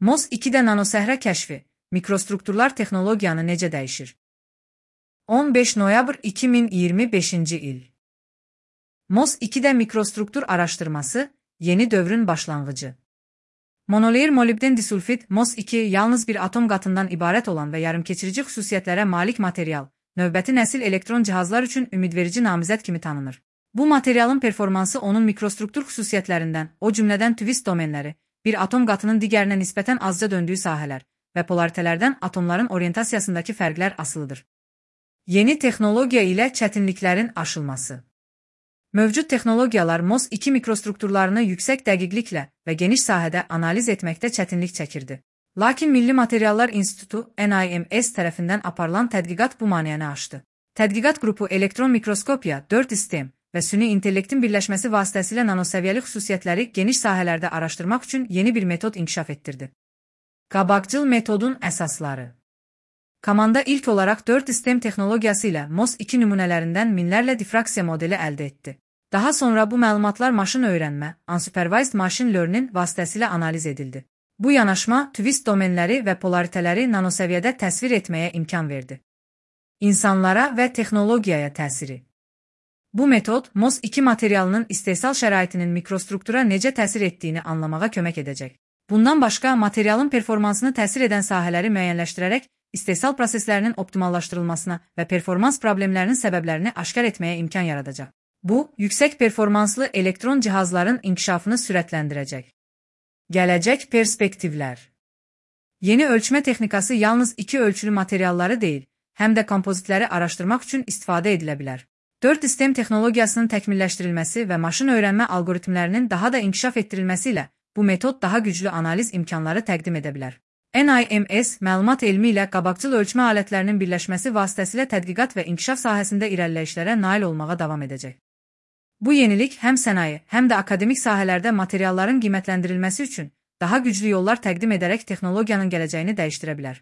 MOS2-də nanosəhrə kəşfi, mikrostrukturlar texnologiyanı necə dəyişir? 15 noyabr 2025-ci il. MOS2-də mikrostruktur araşdırması, yeni dövrün başlanğıcı. Monolayer molibden disulfid MOS2 yalnız bir atom qatından ibarət olan və yarımkeçirici xüsusiyyətlərə malik material, növbəti nəsil elektron cihazlar üçün ümidverici namizəd kimi tanınır. Bu materialın performansı onun mikrostruktur xüsusiyyətlərindən, o cümlədən twist domenləri, bir atom qatının digərinə nisbətən azca döndüyü sahələr və polaritələrdən atomların orientasiyasındakı fərqlər asılıdır. Yeni texnologiya ilə çətinliklərin aşılması. Mövcud texnologiyalar MOS2 mikrostrukturlarını yüksək dəqiqliklə və geniş sahədə analiz etməkdə çətinlik çəkirdi. Lakin Milli Materiallar İnstitutu NIMS tərəfindən aparılan tədqiqat bu maneəni aşdı. Tədqiqat qrupu elektron mikroskopiya, 4 sistem və süni intellektin birləşməsi vasitəsilə nanosəviyyəli xüsusiyyətləri geniş sahələrdə araşdırmaq üçün yeni bir metod inkişaf etdirdi. Qabaqcıl metodun əsasları. Komanda ilk olaraq 4 sistem texnologiyası ilə MOS2 nümunələrindən minlərlə difraksiya modeli əldə etdi. Daha sonra bu məlumatlar maşın öyrənmə, unsupervised machine learning vasitəsilə analiz edildi. Bu yanaşma twist domenləri və polaritələri nanosəviyyədə təsvir etməyə imkan verdi. İnsanlara və texnologiyaya təsiri. Bu metod MOS2 materialının istehsal şəraitinin mikrostruktura necə təsir etdiyini anlamağa kömək edəcək. Bundan başqa, materialın performansını təsir edən sahələri müəyyənləşdirərək, istehsal proseslərinin optimallaşdırılmasına və performans problemlərinin səbəblərini aşkar etməyə imkan yaradacaq. Bu, yüksək performanslı elektron cihazların inkişafını sürətləndirəcək. Gələcək perspektivlər. Yeni ölçmə texnikası yalnız 2 ölçülü materialları deyil, həm də kompozitləri araşdırmaq üçün istifadə edilə bilər. 4 sistem texnologiyasının təkmilləşdirilməsi və maşın öyrənmə algoritmlərinin daha da inkişaf etdirilməsi ilə bu metod daha güclü analiz imkanları təqdim edə bilər. NIMS məlumat elmi ilə qabaqcıl ölçmə alətlərinin birləşməsi vasitəsilə tədqiqat və inkişaf sahəsində irəliləyişlərə nail olmağa davam edəcək. Bu yenilik həm sənaye, həm də akademik sahələrdə materialların qiymətləndirilməsi üçün daha güclü yollar təqdim edərək texnologiyanın gələcəyini dəyişdirə bilər.